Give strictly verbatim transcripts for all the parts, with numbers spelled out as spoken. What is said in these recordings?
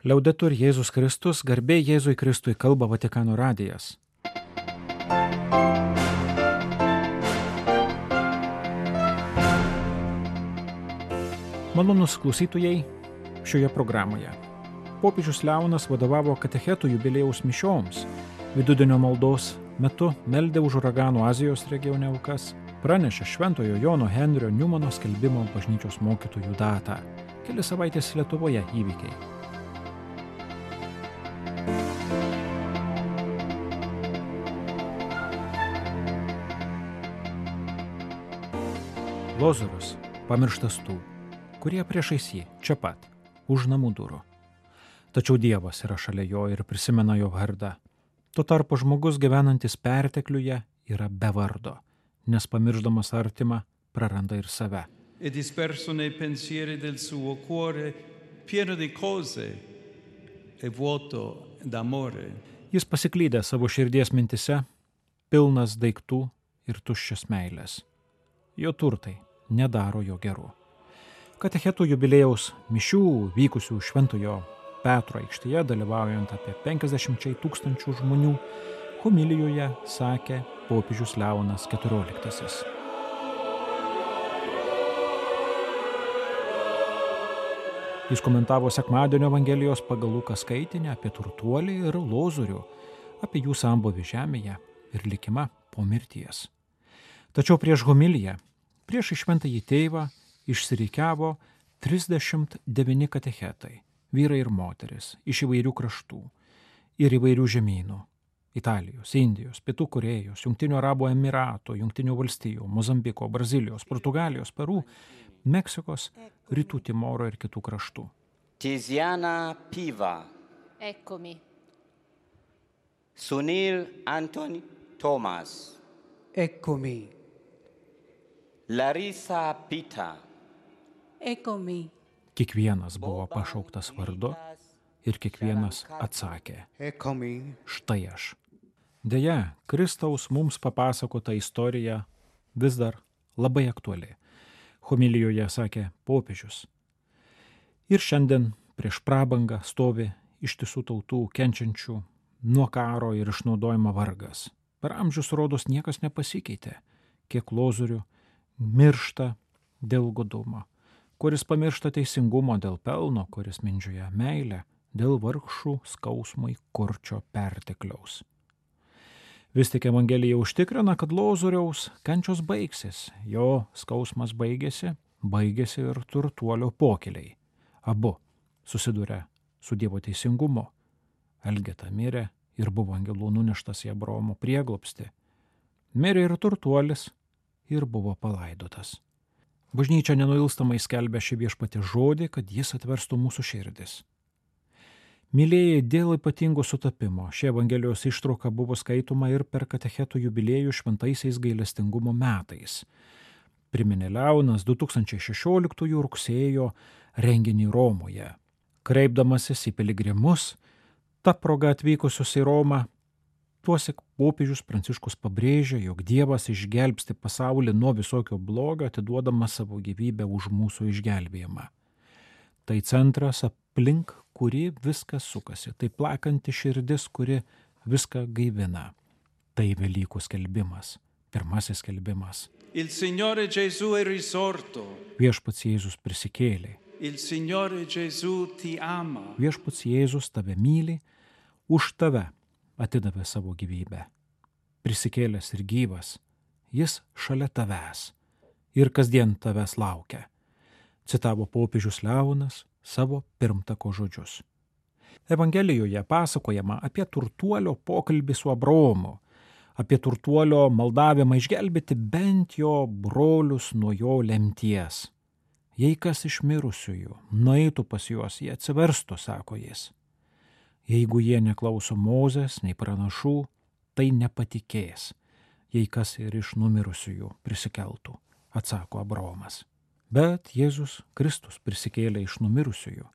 Liaudetur Jėzus Kristus, garbė Jėzui Kristui, kalba Vatikano radijas. Malonūs klausytojai šioje programoje. Popiežius Leonas vadovavo katechetų jubiliejaus mišioms. Vidudienio maldos metu meldė už uraganų Azijos regione aukas, pranešė Šventojo Jono Henrio Niumano skelbimo bažnyčios mokytojų datą. Keli savaitės Lietuvoje įvykiai. Lozorius pamirštas tų, kurie priešais jį, čia pat, už namų durų. Tačiau Dievas yra šalia jo ir prisimena jo vardą. Tuo tarpu žmogus gyvenantis pertekliuje yra be vardo, nes pamirždamas artimą praranda ir save. E disperso nei pensieri del suo cuore, pieno di cose e vuoto d'amore. Jis pasiklydė savo širdies mintise, pilnas daiktų ir tuščias meilės. Jo turtai nedaro jo geru. Katechetų jubiliejaus mišių vykusių Šventojo Petro aikštėje, dalyvaujant apie penkiasdešimt tūkstančių žmonių, homilijoje sakė popiežius Leonas keturioliktasis. Jis komentavo sekmadienio Evangelijos pagal Luką skaitinį apie turtuolį ir lozorių, apie jų sambūvį žemėje ir likimą po mirties. Tačiau prieš homiliją, prieš šventąjį tėvą, išsirikiavo trisdešimt devyni katechetai, vyrai ir moteris, iš įvairių kraštų ir įvairių žemynų – Italijos, Indijos, Pietų Korėjos, Jungtinių Arabų Emiratų, Jungtinių Valstijų, Mozambiko, Brazilijos, Portugalijos, Peru, Meksikos, Rytų Timoro ir kitų kraštų. Tiziana Piva. Eccomi. Sunil Anthony Thomas. Eccomi. Larissa Pita. Eccomi. Kiekvienas buvo pašauktas vardu ir kiekvienas atsakė: Eccomi. Štai aš. Deja, Kristaus mums papasakota istorija vis dar labai aktuali. Homilijoje sakė popiežius. Ir šiandien prieš prabangą stovi ištisų tautų kenčiančių nuo karo ir išnaudojimo vargas. Per amžius rodos niekas nepasikeitė, kiek lozorių miršta dėl godumo, kuris pamiršta teisingumo dėl pelno, kuris mindžioja meilę, dėl vargšų skausmui kurčio pertekliaus. Vis tik Evangelija užtikrina, kad lozoriaus kančios baigsis, jo skausmas baigėsi, baigėsi ir turtuolio pokyliai. Abu susiduria su Dievo teisingumu. Elgeta mirė ir buvo angelų nuneštas į Abraomo prieglobstį. Mirė ir turtuolis ir buvo palaidotas. Bažnyčia nenuilstamai skelbia šį viešpatį žodį, kad jis atverstų mūsų širdis. Mylėjai, dėl ypatingo sutapimo, ši Evangelijos ištrauka buvo skaitoma ir per katechetų jubiliejų šventaisiais gailestingumo metais. Priminė Leonas du tūkstančiai šešioliktųjų rugsėjo renginį Romoje. Kreipdamasis į piligrimus, ta proga atvykusius į Romą, tuosik popiežius Pranciškus pabrėžia, jog Dievas išgelbsti pasaulį nuo visokio blogio, atiduodamas savo gyvybę už mūsų išgelbėjimą. Tai centras, aplink kurį viskas sukasi, tai plakanti širdis, kuri viską gaivina. Tai Velykų skelbimas, pirmasis skelbimas. Il Signore Gesù è risorto. Viešpats Jėzus prisikėlė. Il Signore Gesù ti ama. Viešpats Jėzus tave myli, už tave atidavė savo gyvybę. Prisikėlęs ir gyvas, jis šalia tavęs ir kasdien tavęs laukia. Citavo popiežius Leonas savo pirmtako žodžius. Evangelijoje pasakojama apie turtuolio pokalbį su Abraomu, apie turtuolio maldavimą išgelbėti bent jo brolius nuo jo lemties. Jei kas iš mirusiųjų nueitų pas juos, jie atsiverstų, sako jis. Jeigu jie neklauso Mozės, nei pranašų, tai nepatikės, jei kas ir iš numirusiųjų prisikeltų, atsako Abraomas. Bet Jėzus Kristus prisikėlė iš numirusiųjų.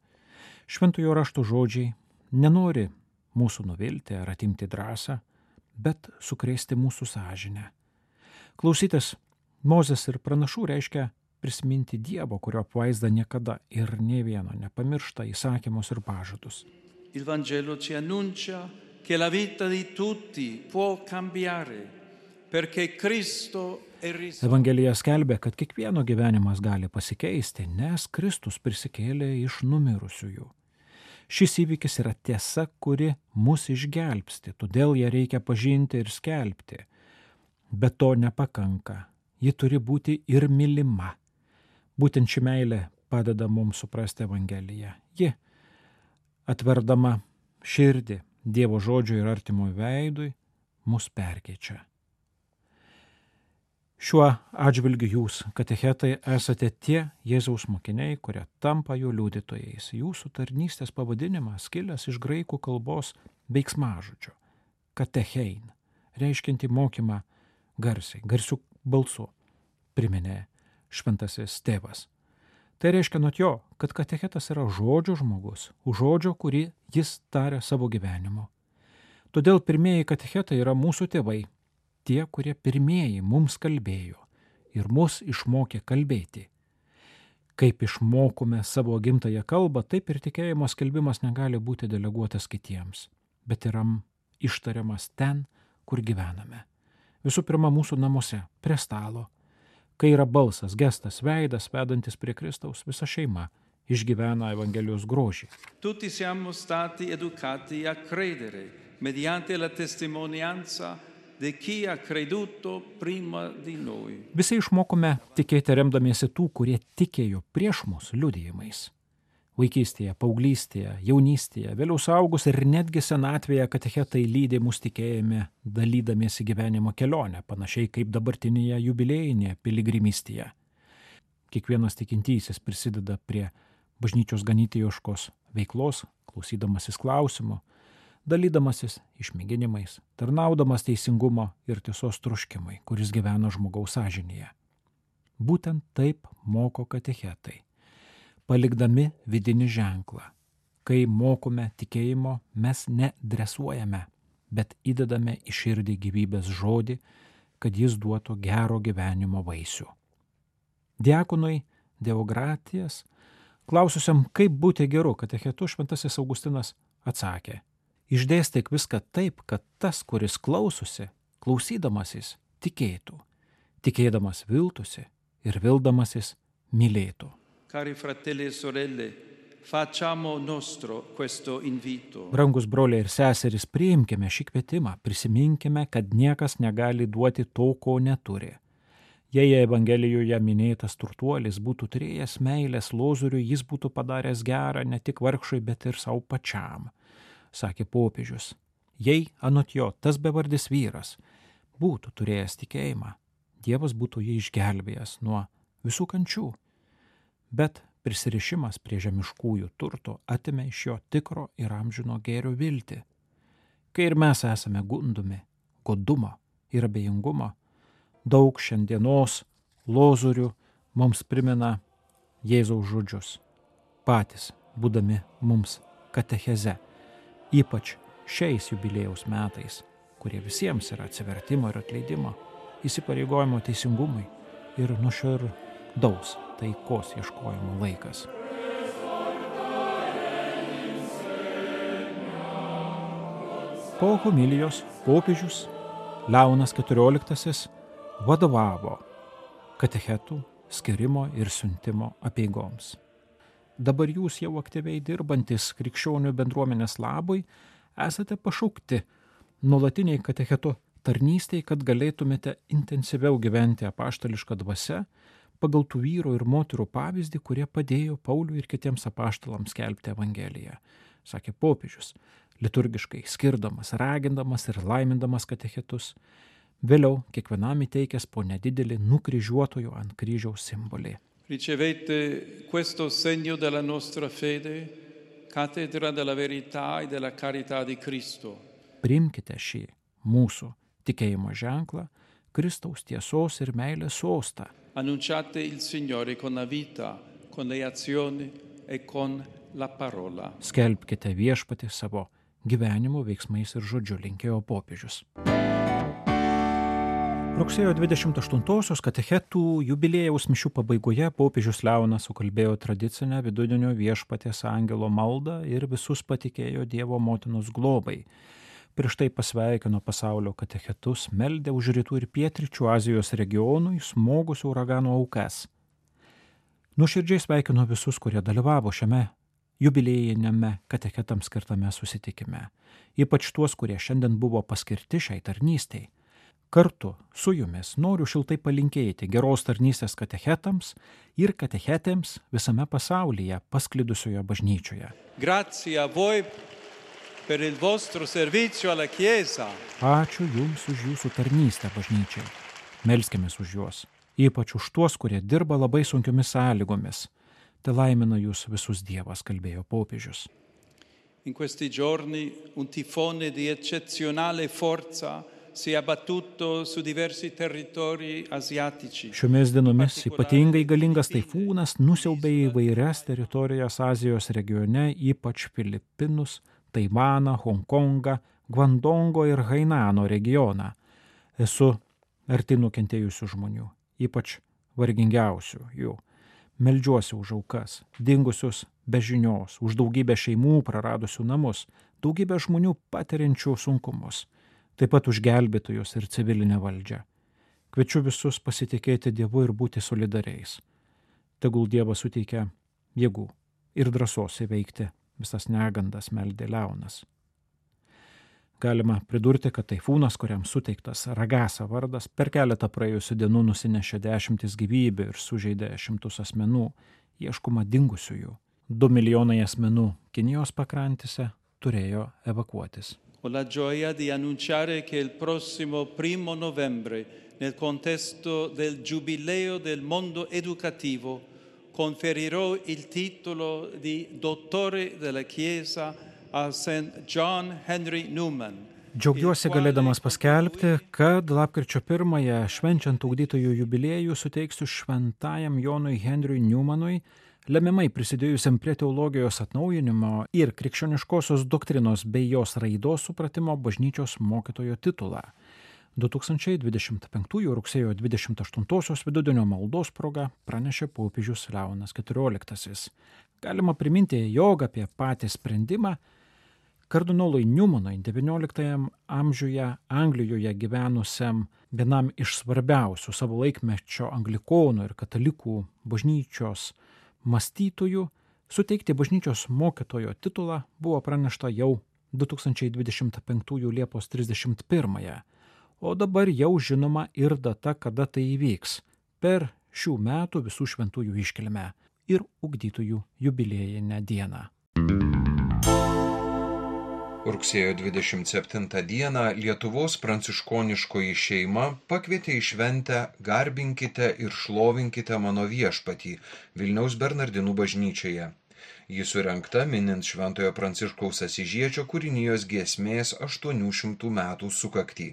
Šventojo rašto žodžiai nenori mūsų nuvilti ar atimti drąsą, bet sukrėsti mūsų sąžinę. Klausytis Mozės ir pranašų reiškia prisiminti Dievo, kurio apvaizda niekada ir nė vieno nepamiršta įsakymus ir pažadus. Il Vangelo ci annuncia che la vita di tutti può cambiare, perché Cristo è risorto. Evangelija skelbia, kad kiekvieno gyvenimas gali pasikeisti, nes Kristus prisikėlė iš numirusiųjų. Šis įvykis yra tiesa, kuri mus išgelbsti, todėl ją reikia pažinti ir skelbti. Bet to nepakanka, ji turi būti ir mylima. Būtent ši meilė padeda mums suprasti Evangeliją. Ji, atverdama širdį Dievo žodžiui ir artimui veidui, mus perkeičia. Šiuo atžvilgiu jūs, katechetai, esate tie Jėzaus mokiniai, kurie tampa jų liudytojais. Jūsų tarnystės pavadinimas kilęs iš graikų kalbos veiksmažodžio katechein, reiškianti mokymą garsiai, garsiu balsu, priminė šventasis tėvas. Tai reiškia nuo jo, kad katechetas yra žodžio žmogus, už žodžio, kurį jis taria savo gyvenimu. Todėl pirmieji katechetai yra mūsų tėvai, tie, kurie pirmieji mums kalbėjo ir mus išmokė kalbėti. Kaip išmokome savo gimtąją kalbą, taip ir tikėjimo skelbimas negali būti deleguotas kitiems, bet yra ištariamas ten, kur gyvename. Visų pirma, mūsų namuose, prie stalo. Kai yra balsas, gestas, veidas, vedantis prie Kristaus, visa šeima išgyvena Evangelijos grožį. Tutti siamo stati educati a credere mediante la testimonianza di chi ha creduto prima di noi. Visi išmokome tikėti remdamiesi tų, kurie tikėjo prieš mus liudijimais. Vaikystėje, paauglystėje, jaunystėje, vėliau suaugus ir netgi senatvėje katechetai lydi mus tikėjime, dalydamiesi gyvenimo kelionę, panašiai kaip dabartinėje jubiliejinėje piligrimystėje. Kiekvienas tikintysis prisideda prie bažnyčios ganytojiškos veiklos, klausydamasis klausimų, dalydamasis išmėginimais, tarnaudamas teisingumo ir tiesos troškimai, kuris gyvena žmogaus sąžinėje. Būtent taip moko katechetai, palikdami vidinį ženklą. Kai mokome tikėjimo, mes nedresuojame, bet įdedame į širdį gyvybės žodį, kad jis duotų gero gyvenimo vaisių. Diakonui Deogratijas, klaususiam, kaip būti geru katechetu, šventasis Augustinas atsakė: išdėstyk viską taip, kad tas, kuris klausosi, klausydamasis, tikėtų, tikėdamas viltųsi ir vildamasis mylėtų. Cari fratelli e sorelle, facciamo nostro questo invito. Brangus broliai ir seserys, priimkime šį kvietimą, prisiminkime, kad niekas negali duoti to, ko neturi. Jei Evangelijoje minėtas turtuolis būtų turėjęs meilės Lozoriui, jis būtų padaręs gerą ne tik vargšui, bet ir savo pačiam, sakė popiežius. Jei anot jo tas bevardis vyras būtų turėjęs tikėjimą, Dievas būtų jį išgelbėjęs nuo visų kančių. Bet prisirišimas prie žemiškųjų turtų atimė iš jo tikro ir amžino gėrio viltį. Kai ir mes esame gundomi godumo ir abejingumo, daug šiandienos lozorių mums primena Jėzaus žodžius, patys būdami mums katecheze, ypač šiais jubiliejaus metais, kurie visiems yra atsivertimo ir atleidimo, įsipareigojimo teisingumui ir nuoširdaus taikos ieškojimo laikas. Po homilijos popiežius Leonas keturioliktasis vadovavo katechetų skirimo ir siuntimo apeigoms. Dabar jūs jau aktyviai dirbantis krikščionių bendruomenės labui esate pašaukti nuolatiniai katechetų tarnystei, kad galėtumėte intensyviau gyventi apaštališką dvasią pagal tų vyrų ir moterų pavyzdį, kurie padėjo Pauliui ir kitiems apaštalams skelbti Evangeliją, sakė popiežius, liturgiškai skirdamas, ragindamas ir laimindamas katechetus, vėliau kiekvienam įteikęs po nedidelį nukryžiuotojo ant kryžiaus simbolį. Ricevete questo segno della nostra fede, cattedra della verità e della carità di Cristo. Priimkite šį mūsų tikėjimo ženklą, Kristaus tiesos ir meilės sostą. Annunciate il Signore con la vita, con le azioni e con la parola. Skelbkite viešpatį savo gyvenimo veiksmais ir žodžiu, linkėjo popiežius. Rugsėjo dvidešimt aštuntosios katechetų jubiliejaus mišių pabaigoje popiežius Leonas sukalbėjo tradicinę vidudienio Viešpaties angelo maldą ir visus patikėjo Dievo motinos globai. Prieš tai pasveikino pasaulio katechetus, meldė už rytų ir pietryčių Azijos regionui smogusių uragano aukas. Nuoširdžiai sveikino visus, kurie dalyvavo šiame jubiliejiniame katechetams skirtame susitikime, ypač tuos, kurie šiandien buvo paskirti šiai tarnystei. Kartu su jumis noriu šiltai palinkėti geros tarnystės katechetams ir katechetėms visame pasaulyje pasklidusioje bažnyčioje. Grazie a voi per il vostro servizio alla Chiesa. Ačiū jums už jūsų tarnystę bažnyčiai. Melskimės už juos, ypač už tuos, kurie dirba labai sunkiomis sąlygomis. Te laimina jūs visus Dievas, kalbėjo popiežius. In questi giorni un tifone di eccezionale forza si è abbattuto su diversi territori asiatici. Šiomis dienomis ypatingai galingas taifūnas nusiaubė įvairias teritorijas Azijos regione, ypač Filipinus, Taivaną, Honkongą, Gvandongo ir Hainano regioną. Esu arti nukentėjusių žmonių, ypač vargingiausių jų. Meldžiuosi už aukas, dingusius be žinios, už daugybę šeimų praradusių namus, daugybę žmonių patiriančių sunkumus. Taip pat už gelbėtojus ir civilinę valdžią. Kviečiu visus pasitikėti Dievu ir būti solidariais. Tegul Dievas suteikia jėgų ir drąsos įveikti visas negandas, meldė Leonas. Galima pridurti, kad taifūnas, kuriam suteiktas Ragasa vardas, per keletą praėjusių dienų nusinešė dešimtis gyvybių ir sužeidė šimtus asmenų, ieškoma dingusiųjų. Du milijonai asmenų Kinijos pakrantėse turėjo evakuotis. Ho la gioia di annunciare che il prossimo primo novembre, nel contesto del Giubileo del mondo educativo, conferirò il titolo di Dottore della Chiesa a Saint John Henry Newman. Džiaugiuosi galėdamas paskelbti, kad lapkričio pirmąją švenčiant ugdytojų jubiliejų suteiksiu šventajam Jonui Henriui Newmanui, lemiamai prisidėjusiam prie teologijos atnaujinimo ir krikščioniškosios doktrinos bei jos raidos supratimo bažnyčios mokytojo titulą. du tūkstančiai dvidešimt penktųjų rugsėjo dvidešimt aštuntosios vidudienio maldos proga pranešė popiežius Leonas keturioliktasis. Galima priminti, jog apie patį sprendimą kardinolui Newmanui devynioliktajame amžiuje Anglijoje gyvenusiam vienam iš svarbiausių savo laikmečio anglikonų ir katalikų bažnyčios mąstytojų suteikti bažnyčios mokytojo titulą buvo pranešta jau du tūkstančiai dvidešimt penktųjų Liepos trisdešimt pirmąją, o dabar jau žinoma ir data, kada tai įvyks per šių metų visų šventųjų iškilmę ir ugdytojų jubiliejinę dieną. Rugsėjo dvidešimt septintą dieną Lietuvos pranciškoniškoji šeima pakvietė į šventę Garbinkite ir šlovinkite mano viešpatį Vilniaus Bernardinų bažnyčioje. Ji surengta minint Šventojo Pranciškaus Asyžiečio kūrinijos giesmės aštuonių šimtų metų sukaktį.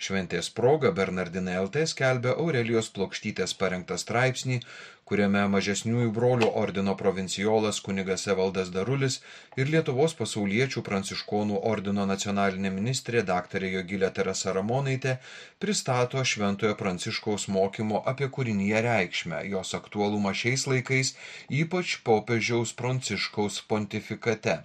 Šventės proga Bernardinai L T skelbia Aurelijos Plokštytės parengtą straipsnį, kuriame mažesniųjų brolių ordino provincijolas kunigas Evaldas Darulis ir Lietuvos pasauliečių pranciškonų ordino nacionalinė ministrė daktarė Jogilė Teresa Ramonaitė pristato Šventojo Pranciškaus mokymo apie kūriniją reikšmę, jos aktualumą šiais laikais, ypač popiežiaus Pranciškaus pontifikate.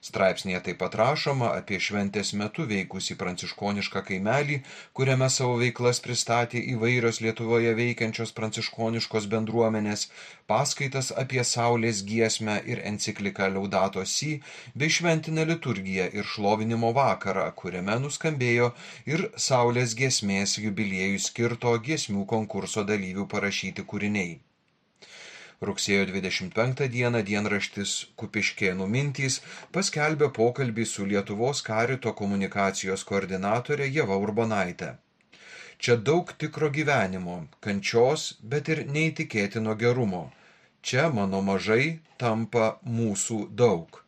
Straipsnėje taip pat rašoma apie šventės metu veikusį pranciškonišką kaimelį, kuriame savo veiklas pristatė įvairios Lietuvoje veikiančios pranciškoniškos bendruomenės, paskaitas apie Saulės giesmę ir encikliką Laudato Si, bei šventinę liturgiją ir šlovinimo vakarą, kuriame nuskambėjo ir Saulės giesmės jubiliejui skirto giesmių konkurso dalyvių parašyti kūriniai. Rugsėjo dvidešimt penktą dieną dienraštis Kupiškėnų mintys paskelbė pokalbį su Lietuvos karito komunikacijos koordinatore Ieva Urbonaite. Čia daug tikro gyvenimo, kančios, bet ir neįtikėtino gerumo. Čia mano mažai tampa mūsų daug.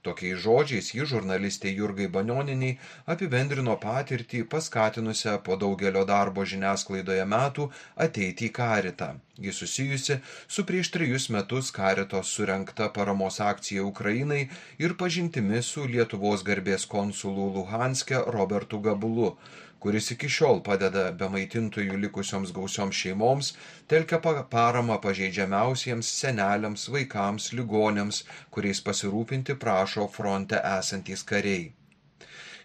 Tokiais žodžiais ji žurnalistė Jurgai Banionienei apibendrino patirtį paskatinusią po daugelio darbo žiniasklaidoje metų ateiti į karitą. Ji susijusi su prieš trejus metus karitos surengta paramos akcija Ukrainai ir pažintimi su Lietuvos garbės konsulu Luhanske Robertu Gabulu, kuris iki šiol padeda be maitintojų likusioms gausioms šeimoms, telkia paramą pažeidžiamiausiems seneliams, vaikams, ligonėms, kuriais pasirūpinti prašo fronte esantys kariai.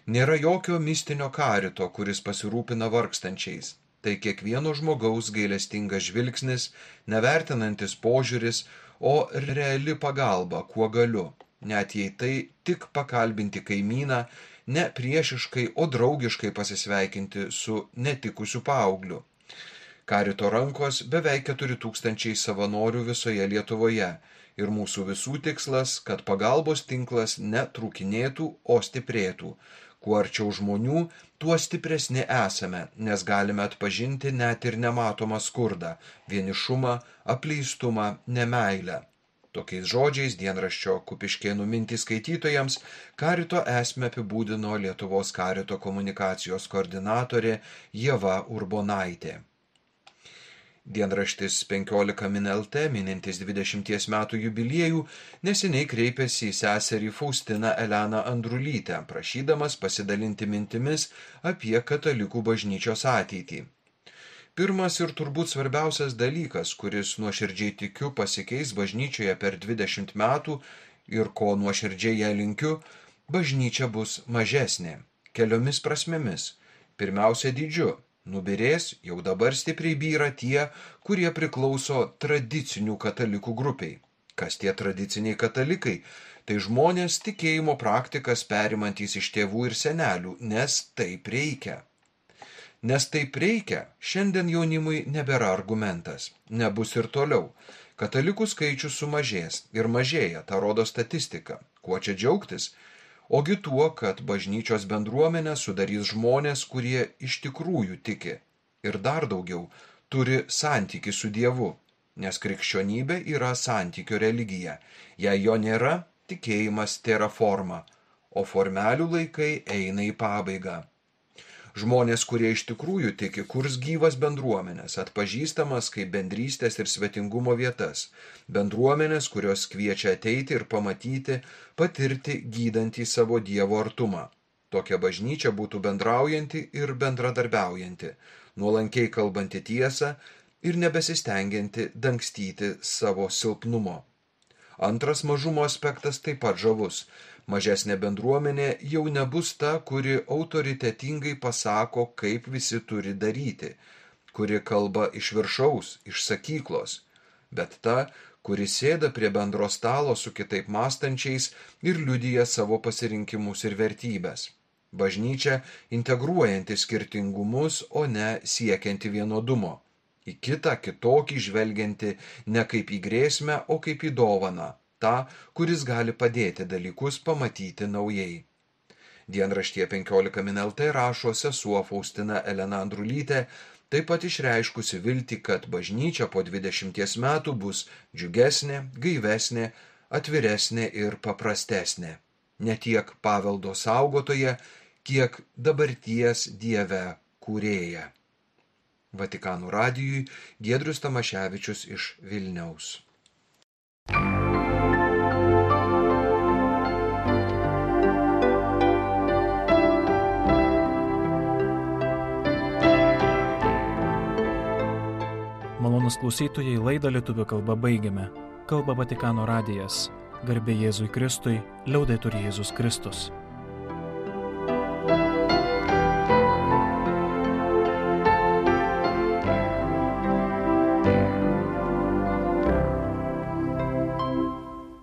Nėra jokio mistinio karito, kuris pasirūpina vargstančiais. Tai kiekvieno žmogaus gailestingas žvilgsnis, nevertinantis požiūris, o reali pagalba, kuo galiu, net jei tai tik pakalbinti kaimyną, ne priešiškai, o draugiškai pasisveikinti su netikusiu paaugliu. Karito rankos beveik keturi tūkstančiai savanorių visoje Lietuvoje ir mūsų visų tikslas, kad pagalbos tinklas netrūkinėtų, o stiprėtų. Kuo arčiau žmonių, tuo stipresni esame, nes galime atpažinti net ir nematomą skurdą, vienišumą, apleistumą, nemeilę. Tokiais žodžiais dienraščio Kupiškėnų mintys skaitytojams karito esmę apibūdino Lietuvos karito komunikacijos koordinatorė Ieva Urbonaitė. Dienraštis penkiolika min el te, minintis dvidešimties metų jubiliejų, neseniai kreipėsi į seserį Faustiną Eleną Andrulytę, prašydamas pasidalinti mintimis apie katalikų bažnyčios ateitį. Pirmas ir turbūt svarbiausias dalykas, kuris nuoširdžiai tikiu pasikeis bažnyčioje per dvidešimt metų ir ko nuoširdžiai ją linkiu, bažnyčia bus mažesnė, keliomis prasmėmis. Pirmiausia dydžiu. Nubirės, jau dabar stipriai byra tie, kurie priklauso tradicinių katalikų grupiai. Kas tie tradiciniai katalikai? Tai žmonės tikėjimo praktikas perimantys iš tėvų ir senelių, nes taip reikia. Nes taip reikia, šiandien jaunimui nebėra argumentas, nebus ir toliau. Katalikų skaičius sumažės ir mažėja, tą rodo statistika. Kuo čia džiaugtis? Ogi tuo, kad bažnyčios bendruomenę sudarys žmonės, kurie iš tikrųjų tiki ir dar daugiau turi santykį su Dievu, nes krikščionybė yra santykio religija. Jei jo nėra, tikėjimas tėra forma, o formelių laikai eina į pabaigą. Žmonės, kurie iš tikrųjų tiki, kurs gyvas bendruomenės, atpažįstamas kaip bendrystės ir svetingumo vietas, bendruomenės, kurios kviečia ateiti ir pamatyti, patirti gydantį savo Dievo artumą. Tokia bažnyčia būtų bendraujanti ir bendradarbiaujanti, nuolankiai kalbanti tiesą ir nebesistengianti dangstyti savo silpnumo. Antras mažumo aspektas taip pat žavus. Mažesnė bendruomenė jau nebus ta, kuri autoritetingai pasako, kaip visi turi daryti, kuri kalba iš viršaus, iš sakyklos, bet ta, kuri sėda prie bendro stalo su kitaip mąstančiais ir liudija savo pasirinkimus ir vertybės. Bažnyčia integruojanti skirtingumus, o ne siekianti vienodumo. Į kitą kitokį žvelgianti ne kaip į grėsmę, o kaip į dovaną. Ta, kuris gali padėti dalykus pamatyti naujai. Dienraštyje penkiolika min el te rašo sesuo Faustina Elena Andrulytė, taip pat išreiškusi viltį, kad bažnyčia po dvidešimties metų bus džiugesnė, gaivesnė, atviresnė ir paprastesnė. Ne tiek paveldo saugotoja, kiek dabarties Dieve kūrėja. Vatikano radijui Giedrius Tamaševičius iš Vilniaus. Malonūs klausytojai, laidą lietuvių kalba baigiame. Kalba Vatikano radijas. Garbė Jėzui Kristui, liaudetur Jėzus Kristus.